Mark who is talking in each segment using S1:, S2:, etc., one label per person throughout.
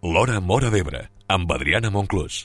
S1: L'Hora Móra d'Ebre, amb Adriana Monclús.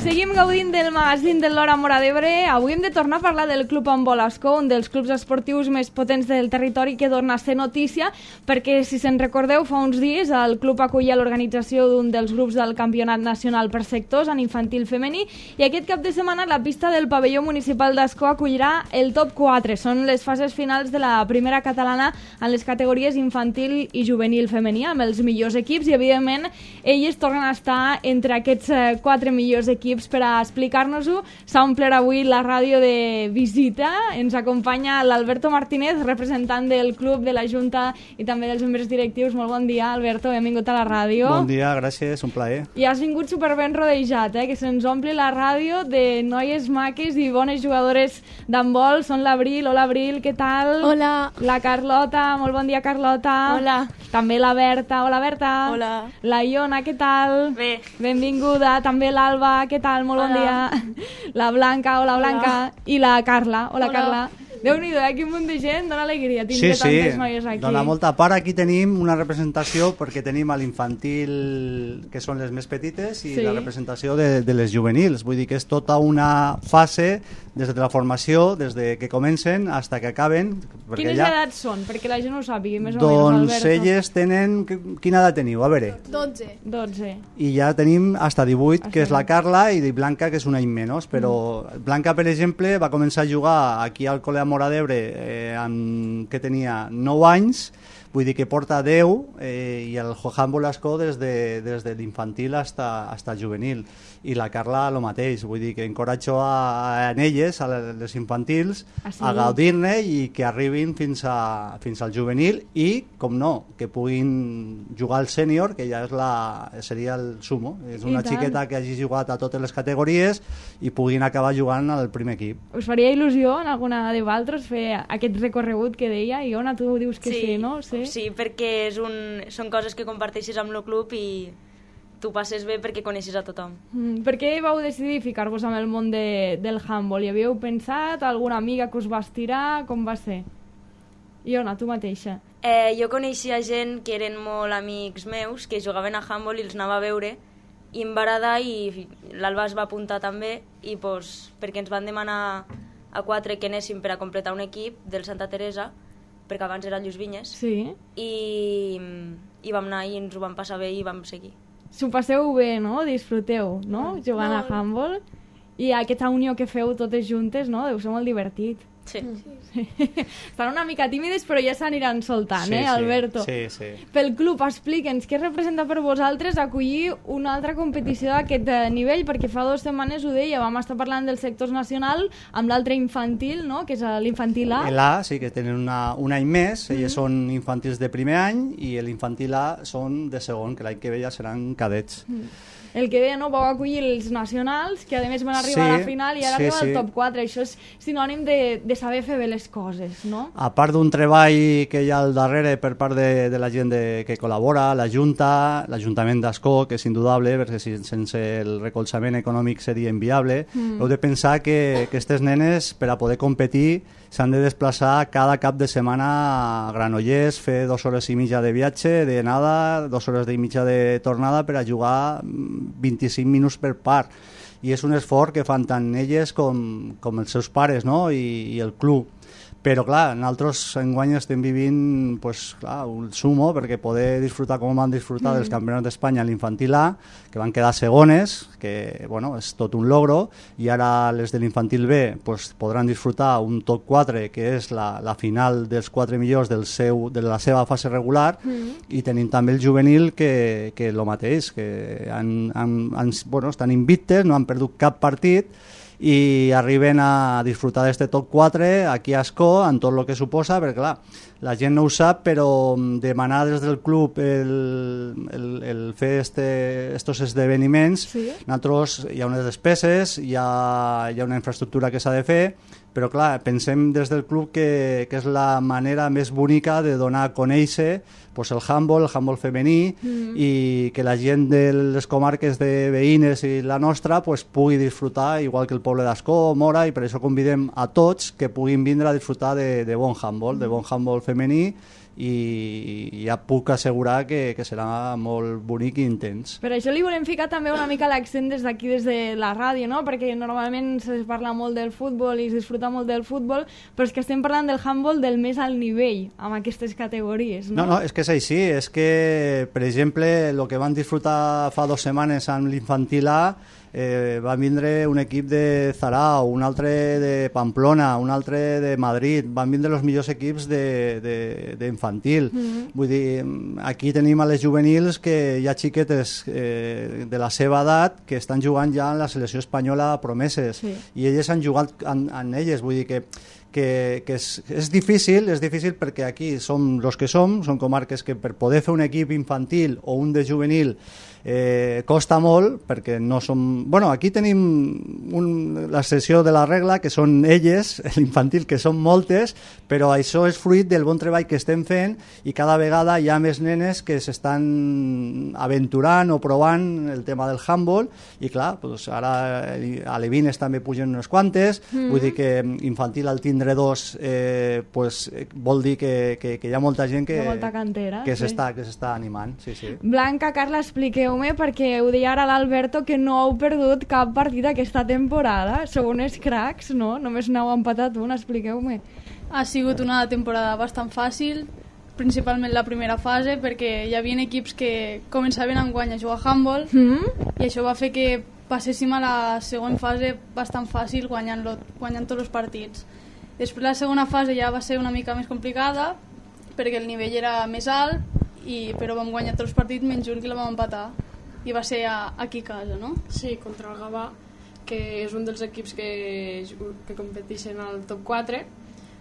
S2: Seguim gaudint del magazín de l'Hora Móra d'Ebre. Avui hem de tornar a parlar del Club Handbol Ascó, un dels clubs esportius més potents del territori que torna a ser notícia, perquè, si se'n recordeu, fa uns dies el club acollia l'organització d'un dels grups del Campionat Nacional per sectors en infantil femení, i aquest cap de setmana la pista del pavelló municipal d'Ascó acollirà el top 4. Són les fases finals de la primera catalana en les categories infantil i juvenil femení, amb els millors equips, i evidentment elles tornen a estar entre aquests 4 millors equips. Per a explicar-nos-ho, s'ha omplert avui la ràdio de visita. Ens acompanya l'Alberto Martínez, representant del club, de la Junta i també dels membres directius. Molt bon dia, Alberto, benvingut a la ràdio.
S3: Bon dia, gràcies, un plaer.
S2: I has vingut superben rodejat, que se'ns ompli la ràdio de noies maques i bones jugadores d'handbol. Són l'Abril. Hola, Abril, què tal?
S4: Hola.
S2: La Carlota. Molt bon dia, Carlota.
S4: Hola.
S2: També la Berta. Hola, Berta.
S4: Hola.
S2: La Iona, què tal?
S4: Bé.
S2: Benvinguda. També l'Alba, què tal? Molt bon dia. La Blanca, hola Blanca. I la Carla, hola Carla. Déu-n'hi-do, quin munt de gent, dona alegria tindre tantes noies aquí.
S3: Dona molta part. Aquí tenim una representació perquè tenim a l'infantil, que són les més petites, i la representació de les juvenils. Vull dir que és tota una fase des de la formació, des de que comencen fins que acaben.
S2: Quines edats són? Perquè la gent ho sàpiga, més o menys,
S3: Doncs
S2: Alberto.
S3: elles tenen... Quina edat teniu? A veure.
S4: 12.
S3: I ja tenim hasta 18, que és la Carla, i Blanca, que és un any menys. Però Blanca, per exemple, va començar a jugar aquí al Col·le Móra d'Ebre que tenia 9 anys, vull dir que porta 10, i el handbol Ascó des de l'infantil fins al juvenil. I la Carla el mateix, vull dir que encoratjo a elles, a les infantils, a gaudir-ne i que arribin fins al juvenil i, com no, que puguin jugar al sènior, que ja seria el sumo. És una xiqueta que hagi jugat a totes les categories i puguin acabar jugant al primer equip.
S2: Us faria il·lusió en alguna de vosaltres fer aquest recorregut que deia? Iona, tu dius que sí, no?
S5: Sí, perquè són coses que comparteixes amb el club i tu passes bé perquè coneixes a tothom.
S2: Per què vau decidir ficar-vos amb el món del handball? Hi havíeu pensat? Alguna amiga que us va estirar? Com va ser? Iona, tu mateixa.
S5: Jo coneixia gent que eren molt amics meus, que jugaven a handball i els anava a veure, i em va agradar, i l'Alba es va apuntar també, i perquè ens van demanar a 4 que anéssim per a completar un equip del Santa Teresa, perquè abans era Lluís Vinyes, i vam anar i ens ho vam passar bé i vam seguir.
S2: S'ho passeu bé, no? Disfruteu, no? Jugant a handball. I aquesta unió que feu totes juntes, no? Deu ser molt divertit.
S5: Sí.
S2: Estan una mica tímides, però ja s'aniran soltant, Alberto?
S3: Sí.
S2: Pel club, explica'ns què representa per vosaltres acollir una altra competició d'aquest nivell, perquè fa 2 setmanes ho deia, vam estar parlant del sector nacional amb l'altre infantil, no?, que és l'infantil A.
S3: L'A, sí, que tenen un any més, elles són infantils de primer any, i l'infantil A són de segon, que l'any que ve ja seran cadets.
S2: El que deia, no? Vau acollir els nacionals, que a més van arribar a la final i ara arriba al top 4. Això és sinònim de saber fer bé les coses, no?
S3: A part d'un treball que hi ha al darrere per part de la gent que col·labora, la Junta, l'Ajuntament d'Ascó, que és indudable, perquè sense el recolzament econòmic seria inviable. Heu de pensar que aquestes nenes, per a poder competir, s'han de desplaçar cada cap de setmana a Granollers, fer 2 hores i mitja de viatge, d'anada, 2 hores i mitja de tornada per a jugar 25 minuts per part. I és un esforç que fan tant elles com els seus pares, no? I el club. Però clar, nosaltres enguany estem vivint un sumo, perquè poder disfrutar com van disfrutar dels campionats d'Espanya a l'infantil A, que van quedar segones, que és tot un logro, i ara les de l'infantil B podran disfrutar un top 4, que és la final dels 4 millors de la seva fase regular, i tenim també el juvenil que el mateix, que estan invictes, no han perdut cap partit, i arriben a disfrutar d'este top 4 aquí a Ascó, amb tot el que suposa, perquè clar, la gent no ho sap, però demanar des del club el fer estos esdeveniments, nosaltres hi ha unes despeses, hi ha una infraestructura que s'ha de fer, però clar, pensem des del club que és la manera més bonica de donar a conèixer pues el handball femení, i que la gent de les comarques de veïnes i la nostra pues, pugui disfrutar, igual que el poble d'Ascó, Mora, i per això convidem a tots que puguin vindre a disfrutar de bon handball femení, i ja puc assegurar que serà molt bonic i intens.
S2: Per això li volem ficar també una mica l'accent des d'aquí, des de la ràdio, no? Perquè normalment se parla molt del futbol i es disfruta molt del futbol, però és que estem parlant del handball del més alt nivell, amb aquestes categories, no?
S3: No, és que és així, és que, per exemple, el que van disfrutar fa 2 setmanes amb l'infantil A, va vindre un equip de Zarao, un altre de Pamplona, un altre de Madrid, van vindre els millors equips d'infantil. Vull dir, aquí tenim a les juvenils que hi ha xiquetes de la seva edat que estan jugant ja en la selecció espanyola promeses, i elles han jugat en elles, vull dir que és difícil perquè aquí som els que som comarques que per poder fer un equip infantil o un de juvenil costa molt, perquè no som... Bueno, aquí tenim la sessió de la regla, que són elles, l'infantil, que són moltes, però això és fruit del bon treball que estem fent, i cada vegada hi ha més nenes que s'estan aventurant o provant el tema del handball, i clar, doncs ara a Levines també pugen unes quantes, vull dir que infantil al tindre 2 pues, vol dir que hi ha molta gent que s'està animant. Sí.
S2: Blanca, Carla, expliqueu-me, perquè ho deia ara l'Alberto, que no heu perdut cap partit aquesta temporada. Sou uns cracs, no? Només n'heu empatat un, expliqueu-me.
S4: Ha sigut una temporada bastant fàcil, principalment la primera fase, perquè hi havia equips que començaven enguany a jugar a handball, i això va fer que passéssim a la segona fase bastant fàcil, guanyant tots els partits. Després la segona fase ja va ser una mica més complicada, perquè el nivell era més alt, però vam guanyar tots els partits menys un, que la vam empatar, i va ser aquí a casa, no?
S6: Sí, contra el Gavà, que és un dels equips que competeixen al top 4.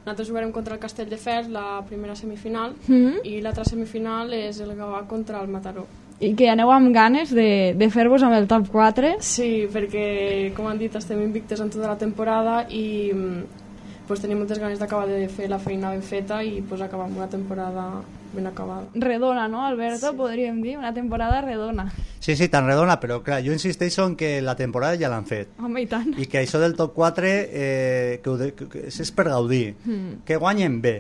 S6: Nosaltres jugarem contra el Castelldefels, la primera semifinal, i l'altra semifinal és el Gavà contra el Mataró.
S2: I que aneu amb ganes de fer-vos amb el top 4?
S6: Sí, perquè, com han dit, estem invictes en tota la temporada i pues, tenim moltes ganes d'acabar de fer la feina ben feta i pues, acabar amb una temporada ben acabada.
S2: Redona, no, Alberto? Sí. Podríem dir, una temporada redona.
S3: Sí, tan redona, però clar, jo insisteixo en que la temporada ja l'han fet.
S2: Home, i tant.
S3: I que això del top 4 que és per gaudir, que guanyen bé,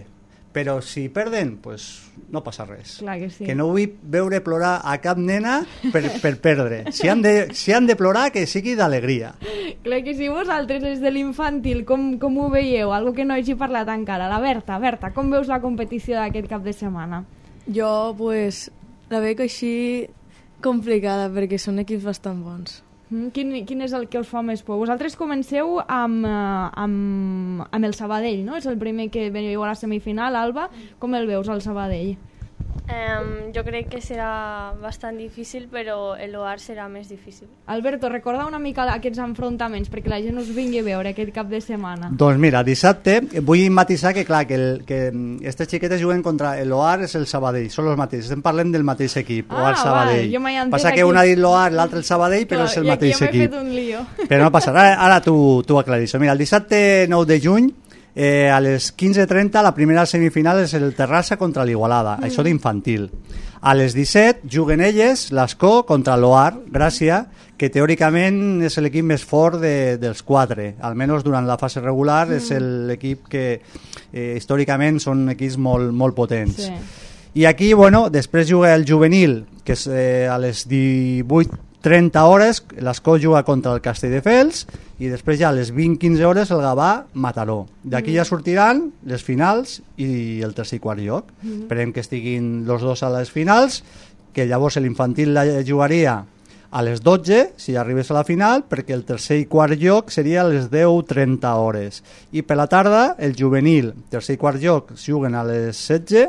S3: però si perden, pues no passa res.
S2: Clar que sí.
S3: Que no vull veure plorar a cap nena per perdre. Si han de plorar, que sigui d'alegria.
S2: Clar que sí. Vosaltres, des de l'infantil, com ho veieu? Algo que no hagi parlat encara. La Berta, com veus la competició d'aquest cap de setmana?
S7: Jo, pues, la veig així complicada, perquè són equips bastant bons.
S2: Quin és el que us fa més por? Vosaltres comenceu amb el Sabadell, no? És el primer que veniu a la semifinal, Alba. Com el veus, el Sabadell?
S8: Jo crec que serà bastant difícil, però l'OAR serà més difícil.
S2: Alberto, recorda una mica aquests enfrontaments perquè la gent us vingui a veure aquest cap de setmana.
S3: Doncs mira, dissabte vull matisar que clar, que aquestes xiquetes juguen contra l'OAR, és el Sabadell, són els mateixos, estem parlant del mateix equip, OAR Sabadell. Passa que un ha dit l'OAR, l'altre el Sabadell, però és el mateix equip.
S2: I aquí m'he fet un lío.
S3: Però no passa res, ara tu aclaris. Mira, el dissabte 9 de juny, a les 15:30 la primera semifinal és el Terrassa contra l'Igualada, això d'infantil. A les 17 juguen elles, l'Ascó contra l'OAR Gràcia, que teòricament és l'equip més fort dels 4, almenys durant la fase regular és l'equip que històricament són equips molt potents. Sí. I aquí, després juga el juvenil, que és a les 18:30 hores, l'Ascó juga contra el Castelldefels, i després ja a les 20:15 hores el Gavà Mataró. D'aquí ja sortiran les finals i el tercer i quart lloc. Esperem que estiguin els dos a les finals, que llavors l'infantil la jugaria a les 12, si arribés a la final, perquè el tercer i quart lloc seria a les 10:30 hores. I per la tarda, el juvenil, tercer i quart lloc, juguen a les 16,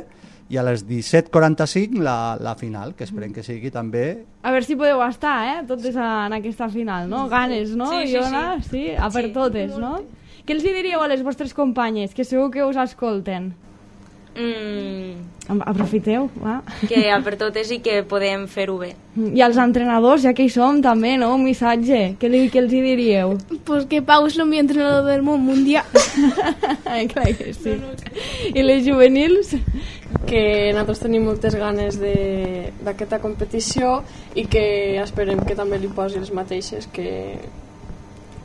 S3: i a les 17:45 la final, que esperem que sigui també...
S2: A veure si podeu estar, totes en aquesta final, no? Ganes, no,
S5: sí,
S2: Iona? Sí, a per totes, no? Què els diríeu a les vostres companyes, que segur que us escolten? Aprofiteu, va.
S5: Que a per totes i que podem fer-ho bé.
S2: I als entrenadors, ja que hi som, també, no? Un missatge. Què els diríeu?
S9: Pues que Pau és el millor entrenador del món mundial.
S2: Clar que sí. I les juvenils?
S6: que nosaltres tenim moltes ganes d'aquesta competició i que esperem que també li posi les mateixes, que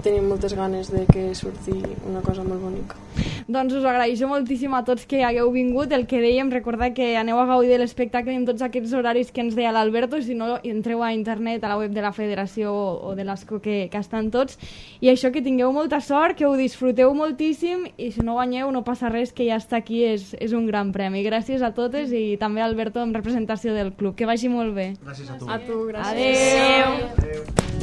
S6: tenim moltes ganes de que surti una cosa molt bonica.
S2: Doncs us agraeixo moltíssim a tots que hagueu vingut. El que dèiem, recordar que aneu a gaudir de l'espectacle en tots aquests horaris que ens deia l'Alberto, si no entreu a internet, a la web de la federació o de l'ASCO, que estan tots, i això, que tingueu molta sort, que ho disfruteu moltíssim, i si no guanyeu no passa res, que ja està aquí, és un gran premi. Gràcies a totes i també a Alberto en representació del club. Que vagi molt bé.
S3: Gràcies a tu.
S6: A tu, gràcies.
S2: Adeu.
S3: Adeu.